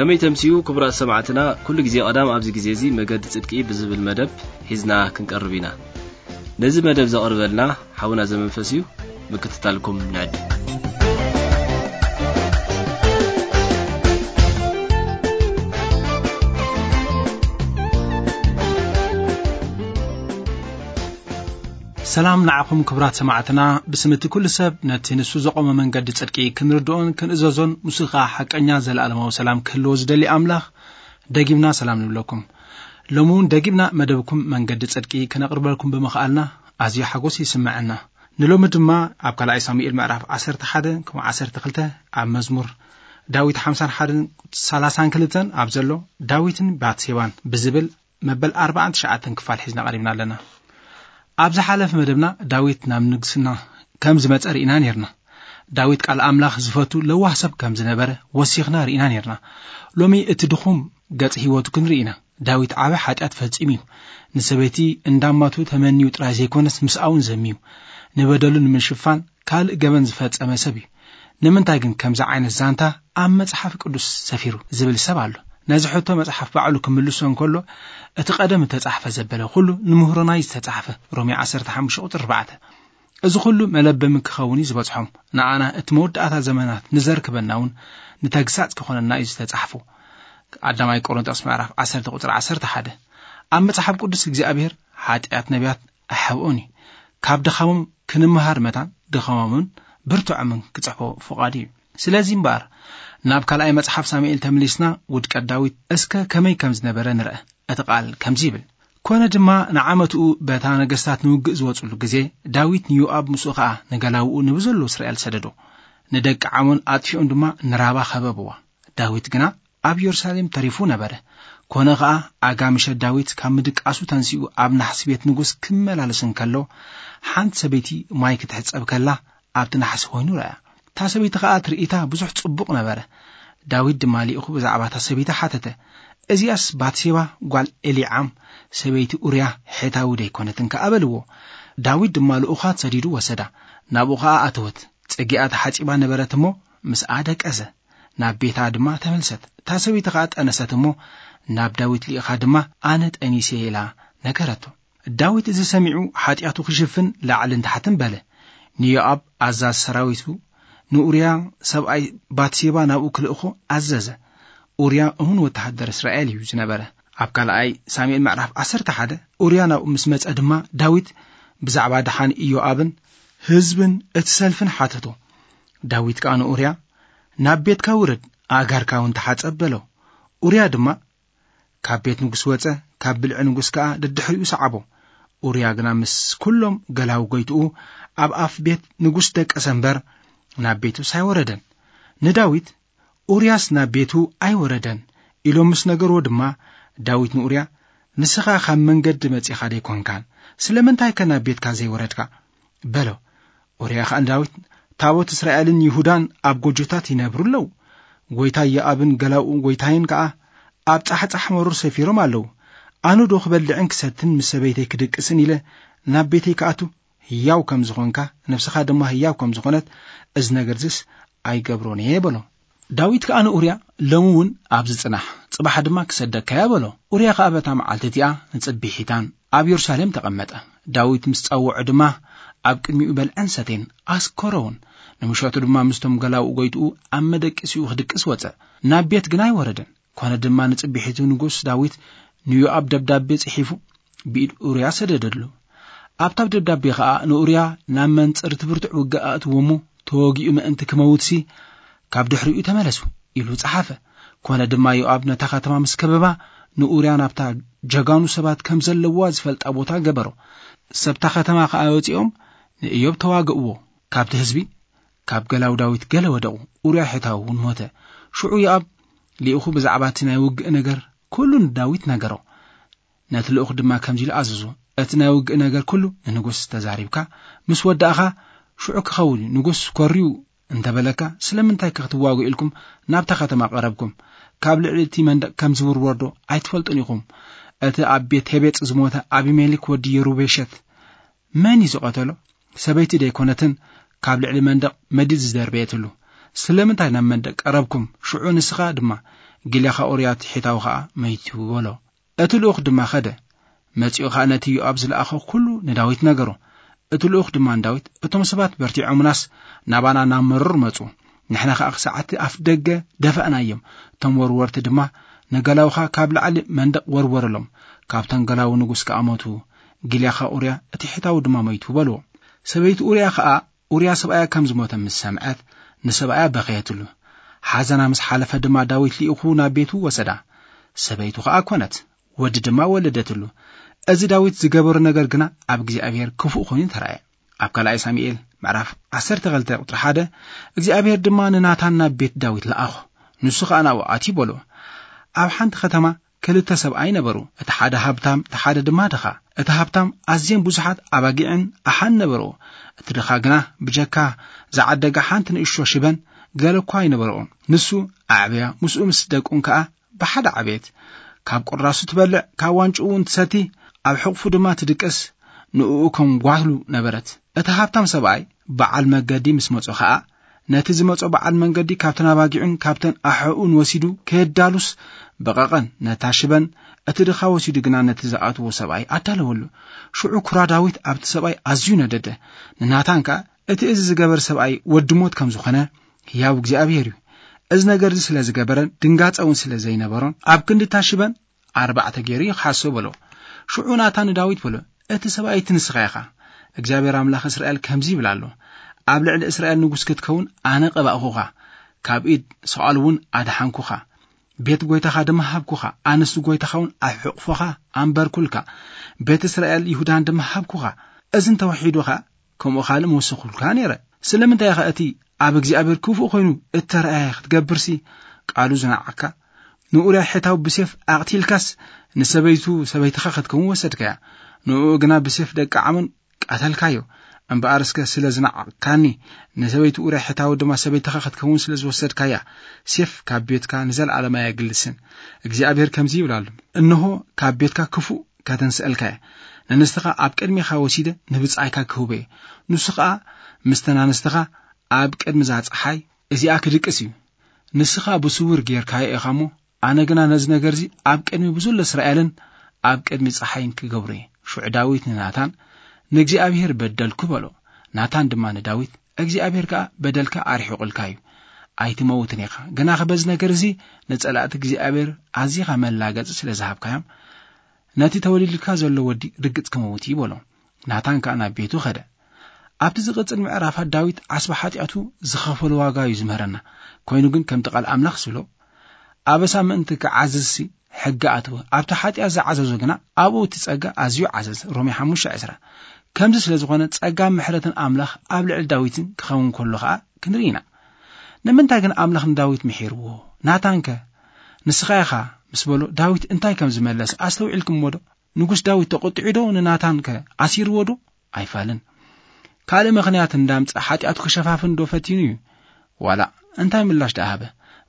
ከመይ ተምስዩ ክቡራት ሰማዕትና፣ ኩሉ ግዜ ቀዳም ኣብዚ ግዜ እዚ መገዲ ጽድቂ ብዝብል መደብ ሒዝና ክንቀርብ ኢና። ነዚ መደብ ዘቕርበልና ሓውና ዘመንፈስ እዩ። ምክትታልኩም ንዕድ። ሰላም ንዓኹም ክቡራት ሰማዕትና። ብስም እቲ ኩሉ ሰብ ነቲ ንሱ ዘቖመ መንገዲ ጽድቂ ክንርድኦን ክንእዘዞን፣ ንሱ ኸኣ ሓቀኛ ዘለኣለማዊ ሰላም ክህልዎ ዝደሊ ኣምላኽ፣ ደጊምና ሰላም ንብለኩም። ሎሚ እውን ደጊምና መደብኩም መንገዲ ጽድቂ ክነቕርበልኩም ብምኽኣልና ኣዝዩ ሓጎስ ይስምዐና። ንሎሚ ድማ ኣብ ካልኣይ ሳሙኤል ምዕራፍ ዓሰርተ ሓደ ከምኡ ዓሰርተ ክልተ፣ ኣብ መዝሙር ዳዊት ሓምሳን ሓደን ሰላሳን ክልተን ኣብ ዘሎ ዳዊትን ባትሴባን ብዝብል መበል ኣርባዓን ትሽዓተን ክፋል ሒዝና ቀሪብና ኣለና። ኣብ ዝሓለፈ መደብና ዳዊት ናብ ንግስና ከም ዝመጸ ርኢና ኔርና። ዳዊት ቃል ኣምላኽ ዝፈቱ ለዋህ ሰብ ከም ዝነበረ ወሲኽና ርኢና ኔርና። ሎሚ እቲ ድኹም ገጽ ህይወቱ ክንርኢ ኢና። ዳዊት ዓቢ ሓጢኣት ፈጺሙ እዩ። ንሰበይቲ እንዳማቱ ተመንዩ ጥራይ ዘይኮነስ ምስኣውን ዘምዩ። ንበደሉ ንምሽፋን ካልእ ገበን ዝፈጸመ ሰብ እዩ። ንምንታይ ግን ከምዚ ዓይነት ዛንታ ኣብ መጽሓፍ ቅዱስ ሰፊሩ ዝብል ሰብ ኣሎ። ነዚ ሕቶ መጽሓፍ ባዕሉ ክምልሶ እንከሎ፣ እቲ ቀደም እተጻሕፈ ዘበለ ኩሉ ንምህሮናይ ዝተጻሕፈ፣ ሮሜ ዓሰርተ ሓሙሽተ ቁጽሪ ኣርባዕተ። እዚ ኩሉ መለበሚ ክኸውን እዩ ዝበጽሖም። ንኣና እቲ መወዳእታ ዘመናት ንዘርክበና እውን ንተግሳጽ ክኾነና እዩ ዝተጻሕፎ። ቀዳማይ ቆሮንቶስ ምዕራፍ ዓሰርተ ቁጽሪ ዓሰርተ ሓደ። ኣብ መጽሓፍ ቅዱስ እግዚኣብሔር ሓጢኣት ነቢያት ኣይሓብኦን እዩ። ካብ ድኻሞም ክንመሃር መታን ድኻሞምን ብርቱዖምን ክጽሕፎ ፍቓዱ እዩ። ስለዚ እምበኣር ናብ ካልኣይ መጽሓፍ ሳሙኤል ተመሊስና ውድቀት ዳዊት እስከ ከመይ ከም ዝነበረ ንርአ። እቲ ቃል ከምዚ ይብል፣ ኮነ ድማ ንዓመትኡ በታ ነገስታት ንውግእ ዝወጽሉ ግዜ ዳዊት ንዮኣብ ምስኡ ኸኣ ንገላውኡ ንብዘሎ እስራኤል ሰደዶ። ንደቂ ዓሞን ኣጥፊኦም ድማ ንራባ ከበብዋ። ዳዊት ግና ኣብ የሩሳሌም ተሪፉ ነበረ። ኮነ ኸኣ ኣጋ ምሸት ዳዊት ካብ ምድቃሱ ተንሲኡ ኣብ ናሕሲ ቤት ንጉስ ክመላለስ እንከሎ፣ ሓንቲ ሰበይቲ ማይ ክትሕጸብ ከላ ኣብቲ ናሕሲ ኮይኑ ረኣያ። እታ ሰበይቲ ኸኣ ትርኢታ ብዙሕ ጽቡቕ ነበረ። ዳዊት ድማ ልኢኹ ብዛዕባ እታ ሰበይቲ ሓተተ። እዚኣስ ባትሴባ ጓል ኤሊዓም ሰበይቲ ኡርያ ሔታዊ ደይኮነትን ከኣ በልዎ። ዳዊት ድማ ልኡኻት ሰዲዱ ወሰዳ። ናብኡ ኸኣ ኣተወት። ጽጊኣ ተሓጺባ ነበረት እሞ ምስኣ ደቀሰ። ናብ ቤታ ድማ ተመልሰት። እታ ሰበይቲ ኸኣ ጠነሰት እሞ ናብ ዳዊት ልኢኻ ድማ ኣነ ጠኒሰ ኢላ ነገረቶ። ዳዊት እዚ ሰሚዑ ሓጢኣቱ ክሽፍን ላዕልን ታሕትን በለ። ንዮኣብ ኣዛዝ ሰራዊቱ ንኡርያ ሰብኣይ ባትሴባ ናብኡ ክልእኾ ኣዘዘ። ኡርያ እሙን ወተሃደር እስራኤል እዩ ዝነበረ። ኣብ ካልኣይ ሳሙኤል ምዕራፍ ዓሰርተ ሓደ ኡርያ ናብኡ ምስ መጸ ድማ ዳዊት ብዛዕባ ደሓን ኢዮኣብን ህዝብን እቲ ሰልፍን ሓተቶ። ዳዊት ከኣ ንኡርያ ናብ ቤትካ ውረድ፣ ኣእጋርካ እውን ተሓጸብ በሎ። ኡርያ ድማ ካብ ቤት ንጉስ ወጸ፣ ካብ ብልዒ ንጉስ ከኣ ደድሕሪኡ ሰዓቦ። ኡርያ ግና ምስ ኩሎም ገላው ጎይትኡ ኣብ ኣፍ ቤት ንጉስ ደቀሰ እምበር ናብ ቤቱስ ኣይወረደን። ንዳዊት ኡርያስ ናብ ቤቱ ኣይወረደን ኢሎም ምስ ነገርዎ ድማ፣ ዳዊት ንኡርያ፣ ንስኻ ካብ መንገዲ መጺኻ ደይኮንካን፣ ስለምንታይከ ናብ ቤትካ ዘይወረድካ? በሎ። ኡርያ ኸኣ ንዳዊት፣ ታቦት እስራኤልን ይሁዳን ኣብ ጎጆታት ይነብሩ ኣለዉ። ጐይታይ ዮኣብን ገላኡ ጐይታይን ከኣ ኣብ ጻሕጻሕ መሮር ሰፊሮም ኣለዉ። ኣነ ዶ ክበልዕን ክሰትን ምስ ሰበይተይ ክድቅስን ኢለ ናብ ቤተይ ክኣቱ? ህያው ከም ዝኾንካ፣ ነፍስኻ ድማ ህያው ከም ዝኾነት፣ እዚ ነገር እዚስ ኣይገብሮን እየ በሎ። ዳዊት ከኣ ንኡርያ፣ ሎሚ እውን ኣብዚ ጽናሕ፣ ጽባሕ ድማ ክሰደካ እየ በሎ። ኡርያ ከኣ በታ መዓልቲ እቲኣ ንጽቢሒታን ኣብ የሩሳሌም ተቐመጠ። ዳዊት ምስ ጸውዖ ድማ ኣብ ቅድሚኡ በልዐን ሰተየን፣ ኣስከሮ እውን። ንምሸቱ ድማ ምስቶም ገላውኡ ጐይትኡ ኣብ መደቀሲኡ ክድቅስ ወጸ። ናብ ቤት ግና ኣይወረደን። ኮነ ድማ ንጽቢሒቱ ንጉስ ዳዊት ንዮኣብ ደብዳቤ ጽሒፉ ብኢድ ኡርያ ሰደደሉ። ኣብታ ደብዳቤ ኸኣ ንኡርያ ናብ መንጽር እቲ ብርቱዕ ውግእ ኣእትዎ እሞ፣ ተወጊኡ ምእንቲ ክመውትሲ ካብ ድሕሪኡ ተመለሱ ኢሉ ጸሓፈ። ኮነ ድማ ዮኣብ ነታ ከተማ ምስ ከበባ፣ ንኡርያ ናብታ ጀጋኑ ሰባት ከም ዘለዋ ዝፈልጣ ቦታ ገበሮ። ሰብታ ከተማ ኸኣ ወጺኦም ንእዮብ ተዋግእዎ። ካብቲ ህዝቢ፣ ካብ ገላው ዳዊት ገለ ወደቑ። ኡርያ ሔታዊ እውን ሞተ። ሽዑ ዮኣብ ልኢኹ ብዛዕባ እቲ ናይ ውግእ ነገር ኩሉ ንዳዊት ነገሮ። ነቲ ልኡኽ ድማ ከምዚ ኢሉ ኣዘዞ፣ እቲ ናይ ውግእ ነገር ኩሉ ንንጉስ ተዛሪብካ ምስ ወዳእኻ፣ ሽዑ ክኸውን እዩ። ንጉስ ኮርዩ እንተ በለካ፣ ስለምንታይ ከ ክትዋግኡ ኢልኩም ናብታ ከተማ ቀረብኩም? ካብ ልዕሊ እቲ መንደቕ ከም ዝውርወር ዶ ኣይትፈልጡን ኢኹም? እቲ ኣብ ቤት ሄቤጽ ዝሞተ ኣቢሜሌክ ወዲ የሩቤሸት መን እዩ ዝቐተሎ? ሰበይቲ ደይኮነትን ካብ ልዕሊ መንደቕ መዲድ ዝደርበየትሉ? ስለምንታይ ናብ መንደቕ ቀረብኩም? ሽዑ ንስኻ ድማ ጊልያኻ ኡርያ ትሒታዊ ኸኣ መይቱ በሎ። እቲ ልኡኽ ድማ ኸደ። መጺኡ ኸኣ ነቲ ዮኣብ ዝለኣኾ ኩሉ ንዳዊት ነገሮ። እቲ ልኡኽ ድማ ንዳዊት፣ "እቶም ሰባት በርቲዖምናስ ናባና ናብ መሮር መጹ። ንሕና ኸኣ ክሳዕ እቲ ኣፍ ደገ ደፋእናዮም። እቶም ወርወርቲ ድማ ንገላውኻ ካብ ላዕሊ መንደቕ ወርወረሎም። ካብቶም ገላው ንጉስ ከኣ ሞቱ። ጊልያኻ ኡርያ እቲ ሒታዊ ድማ መይቱ" በልዎ። ሰበይቲ ኡርያ ኸኣ ኡርያ ሰብኣያ ከም ዝሞተ ምስ ሰምዐት፣ ንሰብኣያ በኸየትሉ። ሓዘና ምስ ሓለፈ ድማ ዳዊት ልኢኹ ናብ ቤቱ ወሰዳ። ሰበይቱ ኸኣ ኮነት፣ ወዲ ድማ ወለደትሉ። እዚ ዳዊት ዝገበሮ ነገር ግና ኣብ እግዚኣብሔር ክፉእ ኮይኑ ተራእየ። ኣብ ካልኣይ ሳሙኤል ምዕራፍ ዓሰርተ ክልተ ቁጽሪ ሓደ፣ እግዚኣብሔር ድማ ንናታን ናብ ቤት ዳዊት ለኣኾ። ንሱ ኸኣ ናብኡ ኣትዩ በሎ። ኣብ ሓንቲ ከተማ ክልተ ሰብኣይ ነበሩ። እቲ ሓደ ሃብታም፣ እቲ ሓደ ድማ ድኻ። እቲ ሃብታም ኣዝየን ብዙሓት ኣባጊዕን ኣሓን ነበርዎ። እቲ ድኻ ግና ብጀካ ዝዓደጋ ሓንቲ ንእሽቶ ሽበን ገለ እኳ ኣይነበርኦን። ንሱ ኣዕብያ፣ ምስኡ ምስ ደቁን ከኣ ብሓደ ዓበየት። ካብ ቁራሱ ትበልዕ፣ ካብ ዋንጭኡ እውን ትሰቲ፣ ኣብ ሕቑፉ ድማ ትድቅስ፣ ንእኡ ከም ጓሉ ነበረት። እቲ ሃብታም ሰብኣይ በዓል መገዲ ምስ መጾ ኸኣ፣ ነቲ ዝመጾ በዓል መንገዲ ካብተን ኣባጊዑን ካብተን ኣሕኡን ወሲዱ ከየዳሉስ በቐቐን፣ ነታ ሽበን እቲ ድኻ ወሲዱ ግና ነቲ ዝኣትዎ ሰብኣይ ኣዳለወሉ። ሽዑ ኩራ ዳዊት ኣብቲ ሰብኣይ ኣዝዩ ነደደ። ንናታን ከኣ፣ "እቲ እዚ ዝገበር ሰብኣይ ወዲ ሞት ከም ዝኾነ ህያው እግዚኣብሔር እዩ። እዚ ነገር እዚ ስለ ዝገበረን ድንጋጸ እውን ስለ ዘይነበሮን ኣብ ክንዲ እታ ሽበን ኣርባዕተ ገይሩ ይኽሓሶ" በሎ። ሽዑ ናታን ንዳዊት በሎ፣ "እቲ ሰብኣይ እቲ ንስኻ ኢኻ። እግዚኣብሔር ኣምላኽ እስራኤል ከምዚ ይብል ኣሎ፣ 'ኣብ ልዕሊ እስራኤል ንጉስ ክትከውን ኣነ ቀባእኹኻ፣ ካብ ኢድ ሳኦል እውን ኣድሓንኩኻ፣ ቤት ጐይታኻ ድማ ሃብኩኻ፣ ኣነስ ጐይታኻ እውን ኣብ ሕቑፎኻ ኣንበርኩልካ፣ ቤት እስራኤል ይሁዳን ድማ ሃብኩኻ። እዚ እንተወሒዱ ኸኣ ከምኡ ካልእ ምወሰኹልካ ነይረ። ስለምንታይ ኢኻ እቲ ኣብ እግዚኣብሔር ክፉእ ኮይኑ እተረኣየ ክትገብርሲ ቃሉ ዝነዓቕካ? ንኡርያ ሒታዊ ብሴፍ ኣቕቲልካስ ንሰበይቱ ሰበይትኻ ክትከውን ወሰድካያ። ንእኡ ግና ብሴፍ ደቂ ዓሞን ቀተልካዮ። እምበኣር እስከ ስለ ዝነዓቕካኒ ንሰበይቱ ኡርያ ሒታዊ ድማ ሰበይትኻ ክትከውን ስለ ዝወሰድካያ፣ ሴፍ ካብ ቤትካ ንዘለኣለም ኣየግልስን። እግዚኣብሔር ከምዚ ይብል ኣሎ፣ እንሆ ካብ ቤትካ ክፉእ ከተንስአልካ እየ። ንንስትኻ ኣብ ቅድሜኻ ወሲደ ንብጻይካ ክህቦ እየ። ንሱ ኸኣ ምስተን ኣንስትኻ ኣብ ቅድሚ እዛ ጸሓይ እዚኣ ክድቅስ እዩ። ንስኻ ብስውር ጌርካዮ ኢኻ እሞ፣ ኣነ ግና ነዚ ነገር እዚ ኣብ ቅድሚ ብዝሎ እስራኤልን ኣብ ቅድሚ ጸሓይን ክገብሮ እየ። ሽዑ ዳዊት ንናታን፣ "ንእግዚኣብሔር በደልኩ" በሎ። ናታን ድማ ንዳዊት፣ "እግዚኣብሔር ከኣ በደልካ ኣርሒቑልካ እዩ። ኣይትመውትን ኢኻ። ግናኸ በዚ ነገር እዚ ንጸላእቲ እግዚኣብሔር ኣዚኻ መላገጺ ስለ ዝሃብካዮም፣ ነቲ ተወሊዱልካ ዘሎ ወዲ ርግጽ ክመውት እዩ" በሎ። ናታን ከኣ ናብ ቤቱ ኸደ። ኣብቲ ዝቕጽል ምዕራፋት ዳዊት ዓስቢ ሓጢኣቱ ዝኸፈሎ ዋጋ እዩ ዝምህረና። ኮይኑ ግን ከምቲ ቃል ኣምላኽ ዝብሎ፣ "ኣበሳ ምእንቲ ክዓዝዝሲ ሕጊ ኣትወ፣ ኣብቲ ሓጢኣት ዝዓዘዞ ግና ኣብኡ እቲ ጸጋ ኣዝዩ ዓዘዘ" ሮሜ ሓሙሽተ ዕስራ። ከምዚ ስለ ዝኾነ ጸጋን ምሕረትን ኣምላኽ ኣብ ልዕሊ ዳዊትን ክኸውን ከሎ ኸኣ ክንርኢ ኢና። ንምንታይ ግን ኣምላኽ ንዳዊት ምሒርዎ? ናታንከ ንስኻ ኢኻ ምስ በሎ ዳዊት እንታይ ከም ዝመለስ ኣስተውዒልኩምዎ ዶ? ንጉስ ዳዊት ተቖጢዑ ዶ ንናታን ከ ኣሲርዎ ዶ? ኣይፋልን። ካልእ ምኽንያት እንዳምጸ ሓጢኣቱ ክሸፋፍን ዶ ፈቲኑ እዩ? ዋላ እንታይ ምላሽ ደኣ ሃበ?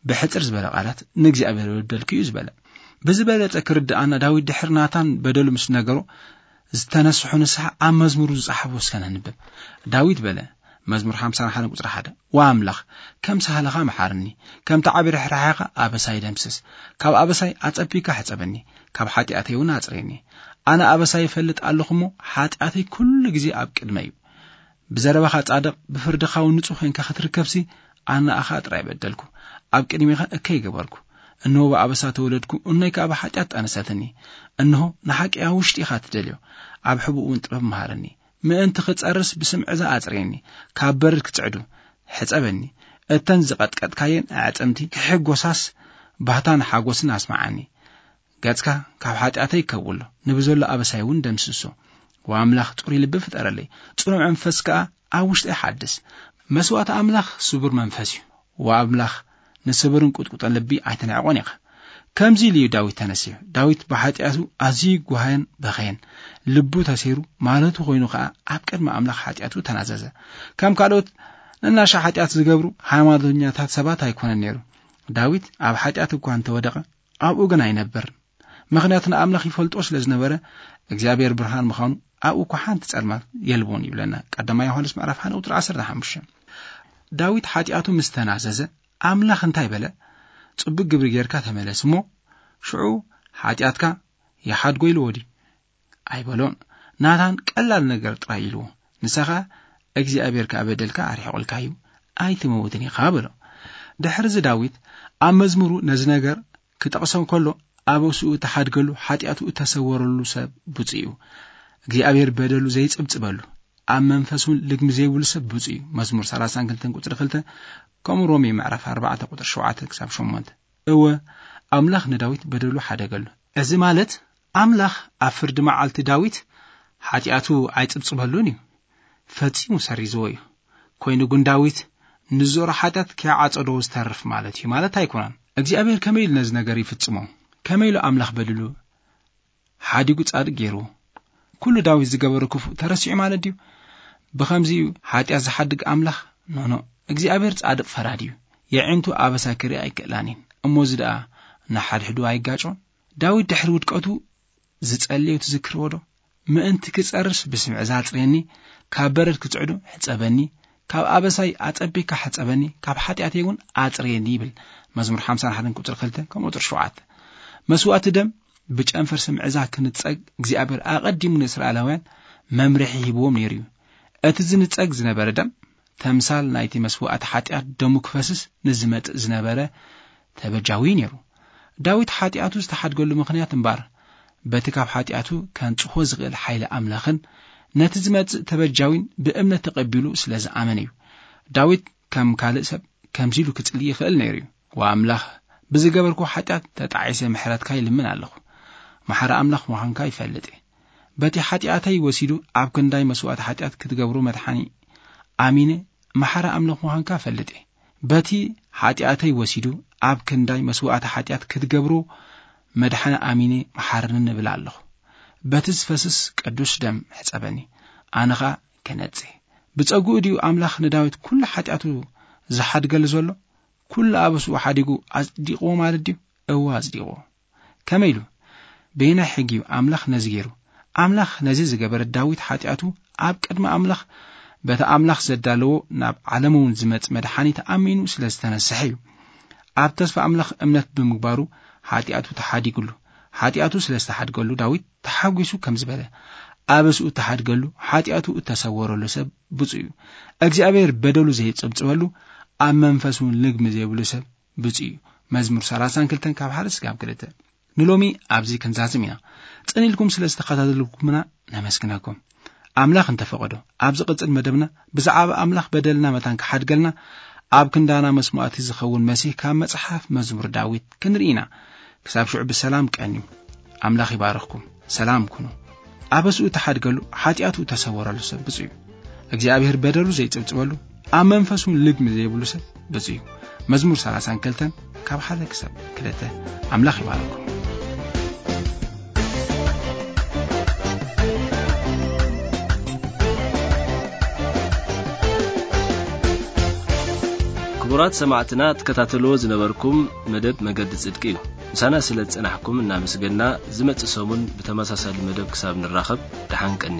ብሕጽር ዝበለ ቃላት ንእግዚኣብሔር በደልኩ እዩ ዝበለ። ብዝበለጸ ክርድኣና ዳዊት ድሕሪ ናታን በደሉ ምስ ነገሮ ዝተነስሑ ንስሓ ኣብ መዝሙሩ ዝጸሓፎ እስከ ነንብብ። ዳዊት በለ፣ መዝሙር ሓምሳን ሓደን ቁጽሪ ሓደ፣ "ዋ ኣምላኽ፣ ከም ሳህልኻ መሓርኒ፣ ከምቲ ዓቢ ርሕራሕኻ ኣበሳይ ደምስስ። ካብ ኣበሳይ ኣጸቢካ ሕጸበኒ፣ ካብ ሓጢኣተይ እውን ኣጽርየኒ። ኣነ ኣበሳይ ይፈልጥ ኣለኹ እሞ፣ ሓጢኣተይ ኩሉ ግዜ ኣብ ቅድመይ እዩ። ብዘረባኻ ጻድቕ፣ ብፍርድኻ እውን ንጹህ ኮይንካ ክትርከብሲ፣ ኣነ ንኣኻ ጥራይ በደልኩ፣ ኣብ ቅድሜኻ እከይ ገበርኩ። እንሆ ብኣበሳ ተወለድኩ፣ እኖይ ከኣ ብሓጢኣት ጠነሰትኒ። እንሆ ንሓቂ ኣብ ውሽጢ ኢኻ ትደልዮ፣ ኣብ ሕቡእ እውን ጥበብ መሃረኒ። ምእንቲ ክጸርስ ብስምዒ ዝኣጽርየኒ፣ ካብ በርድ ክጽዕዱ ሕጸበኒ። እተን ዝቐጥቀጥካየን ኣዕጽምቲ ክሕጎሳስ ባህታን ሓጎስን ኣስምዓኒ። ገጽካ ካብ ሓጢኣተይ ከውሎ፣ ንብዘሎ ኣበሳይ እውን ደምስሶ። ወኣምላኽ ጽሩይ ልቢ ፍጠረለይ፣ ጽኑዕ መንፈስ ከኣ ኣብ ውሽጠይ ሓድስ። መስዋእቲ ኣምላኽ ስቡር መንፈስ እዩ። ወኣምላኽ ንስብርን ቁጥቁጥን ልቢ ኣይትንዕቆን ኢኻ። ከምዚ ኢሉ እዩ ዳዊት ተነሲሑ። ዳዊት ብሓጢኣቱ ኣዝዩ ጓሃየን በኸየን። ልቡ ተሰይሩ ማለቱ ኮይኑ ኸኣ ኣብ ቅድሚ ኣምላኽ ሓጢኣቱ ተናዘዘ። ከም ካልኦት ንናሻ ሓጢኣት ዝገብሩ ሃይማኖተኛታት ሰባት ኣይኮነን ነይሩ። ዳዊት ኣብ ሓጢኣት እኳ እንተወደቐ ኣብኡ ግን ኣይነብርን። ምኽንያቱ ንኣምላኽ ይፈልጦ ስለ ዝነበረ፣ እግዚኣብሔር ብርሃን ምዃኑ ኣብኡ እኳ ሓንቲ ጸልማት የልቦን ይብለና። ቀዳማይ ዮሃንስ ምዕራፍ ሓደ ቁጽሪ ዓሰርተ ሓሙሽተ። ዳዊት ሓጢኣቱ ምስ ተናዘዘ፣ ኣምላኽ እንታይ በለ? ጽቡቕ ግብሪ ጌርካ ተመለስ እሞ፣ ሽዑ ሓጢኣትካ ይሓድጎ ኢልዎ ድዩ? ኣይበሎን። ናታን ቀላል ነገር ጥራይ ኢልዎ። ንሳ ኸኣ፣ "እግዚኣብሔር ከኣ በደልካ ኣርሒቑልካ እዩ፣ ኣይትመውትን ኢኻ" በሎ። ድሕርዚ ዳዊት ኣብ መዝሙሩ ነዚ ነገር ክጠቕሶ ከሎ፣ ኣበስኡ እተሓድገሉ፣ ሓጢኣቱ እተሰወረሉ ሰብ ብፁዕ እዩ። እግዚኣብሔር በደሉ ዘይጽብጽበሉ፣ ኣብ መንፈስ እውን ልግሚ ዘይብሉ ሰብ ብፁዕ እዩ። መዝሙር ሰላሳን ክልተን ቁጽሪ ክልተ፣ ከምኡ ሮሜ ምዕራፍ ኣርባዕተ ቁጽሪ ሸውዓተ ክሳብ ሸሞንተ። እወ፣ ኣምላኽ ንዳዊት በደሉ ሓደገሉ። እዚ ማለት ኣምላኽ ኣብ ፍርዲ መዓልቲ ዳዊት ሓጢኣቱ ኣይጽብጽበሉን እዩ። ፈጺሙ ሰሪዝዎ እዩ። ኮይኑ ግን ዳዊት ንዝዞሮ ሓጢኣት ከይዓጸዶ ዝተርፍ ማለት እዩ ማለት ኣይኮነን። እግዚኣብሔር ከመይ ኢሉ ነዚ ነገር ይፍጽሞ? ከመይ ኢሉ ኣምላኽ በድሉ ሓዲጉ ጻድቅ ገይርዎ? ኩሉ ዳዊት ዝገበሮ ክፉእ ተረሲዑ ማለት ድዩ? ብኸምዚ እዩ ሓጢኣት ዝሓድግ ኣምላኽ? ኖኖ። እግዚኣብሔር ጻድቅ ፈራዲ እዩ። የዒንቱ ኣበሳ ክርኢ ኣይክእላን እየን። እሞ እዚ ደኣ ንሓድሕዱ ኣይጋጮን? ዳዊት ድሕሪ ውድቀቱ ዝጸለዮ ትዝክርዎ ዶ? "ምእንቲ ክጸርስ ብስምዒ ዛጽርየኒ፣ ካብ በረድ ክጽዕዶ ሕጸበኒ፣ ካብ ኣበሳይ ኣጸቢካ ሕጸበኒ፣ ካብ ሓጢኣተይ እውን ኣጽርየኒ" ይብል። መዝሙር ሓምሳን ሓደን ቁጽሪ ክልተ ከምኡ ቁጽሪ ሸውዓተ። መስዋእቲ ደም ብጨንፈር ስምዒ እዛ ክንጸግ እግዚኣብሔር ኣቐዲሙ ንእስራኤላውያን መምርሒ ሂብዎም ነይሩ እዩ። እቲ ዝንጸግ ዝነበረ ደም ተምሳል ናይቲ መስዋእቲ ሓጢኣት ደሙ ክፈስስ ንዝመጽእ ዝነበረ ተበጃዊ ነይሩ። ዳዊት ሓጢኣቱ ዝተሓድገሉ ምኽንያት እምበኣር በቲ ካብ ሓጢኣቱ ከንጽሆ ዝኽእል ሓይሊ ኣምላኽን ነቲ ዝመጽእ ተበጃዊን ብእምነት ተቐቢሉ ስለ ዝኣመነ እዩ። ዳዊት ከም ካልእ ሰብ ከምዚ ኢሉ ክጽሊ ይኽእል ነይሩ እዩ። "ዋ ኣምላኽ፣ ብዝገበርኩ ሓጢኣት ተጣዒሰ ምሕረትካ ይልምን ኣለኹ። መሓሪ ኣምላኽ ምዃንካ ይፈልጥ እየ። በቲ ሓጢኣተይ ወሲዱ ኣብ ክንዳይ መስዋእቲ ሓጢኣት ክትገብሮ መድሓኒ ኣሚነ መሓሪ ኣምላኽ ምዃንካ እፈልጥ እየ። በቲ ሓጢኣተይ ወሲዱ ኣብ ክንዳይ መስዋእቲ ሓጢኣት ክትገብሮ መድሓኒ ኣሚነ መሓርኒ እብል ኣለኹ። በቲ ዝፈስስ ቅዱስ ደም ሕጸበኒ፣ ኣነ ኸኣ ክነጽህ። ብጸግኡ ድዩ ኣምላኽ ንዳዊት ኩሉ ሓጢኣቱ ዝሓድገሉ ዘሎ? ኩሉ ኣበስኡ ሓዲጉ ኣጽዲቕዎ ማለት ድዩ?" እወ ኣጽዲቕዎ። ከመይ ኢሉ? በየናይ ሕጊ እዩ ኣምላኽ ነዚ ገይሩ? ኣምላኽ ነዚ ዝገበረ ዳዊት ሓጢኣቱ ኣብ ቅድሚ ኣምላኽ በቲ ኣምላኽ ዘዳለዎ ናብ ዓለም እውን ዝመጽእ መድሓኒት ኣሚኑ ስለ ዝተነስሐ እዩ። ኣብ ተስፋ ኣምላኽ እምነት ብምግባሩ ሓጢኣቱ ተሓዲጉሉ። ሓጢኣቱ ስለ ዝተሓድገሉ ዳዊት ተሓጒሱ ከም ዝበለ፣ ኣበስኡ እተሓድገሉ ሓጢኣቱ እተሰወረሉ ሰብ ብፁዕ እዩ። እግዚኣብሔር በደሉ ዘይጽብጽበሉ፣ ኣብ መንፈስ እውን ልግሚ ዘይብሉ ሰብ ብፁዕ እዩ። መዝሙር ሰላሳን ክልተን ካብ ሓደ ስጋብ ክልተ። ንሎሚ ኣብዚ ክንዛዝም ኢና። ጽን ኢልኩም ስለ ዝተኸታተልኩምና ነመስግነኩም። ኣምላኽ እንተፈቐዶ፣ ኣብ ዝቕጽል መደብና ብዛዕባ ኣምላኽ በደልና መታን ክሓድገልና ኣብ ክንዳና መስዋእቲ ዝኸውን መሲህ ካብ መጽሓፍ መዝሙር ዳዊት ክንርኢ ኢና። ክሳብ ሽዑ ብሰላም ቀንዩ። ኣምላኽ ይባርኽኩም። ሰላም ኩኑ። ኣበስኡ እተሓድገሉ፣ ሓጢኣቱ እተሰወረሉ ሰብ ብፁዕ እዩ። እግዚኣብሔር በደሉ ዘይጽብጽበሉ፣ ኣብ መንፈሱ ልግሚ ዘይብሉ ሰብ ብፁዕ እዩ። መዝሙር ሰላሳን ክልተን ካብ ሓደ ክሳብ ክልተ። ኣምላኽ ይባርኩም። ክቡራት ሰማዕትና፣ ትከታተልዎ ዝነበርኩም መደብ መገዲ ጽድቂ እዩ። ምሳና ስለ ዝጸናሕኩም እናመስገንና፣ ዝመጽእ ሰሙን ብተመሳሳሊ መደብ ክሳብ ንራኸብ፣ ደሓን ቀኒ።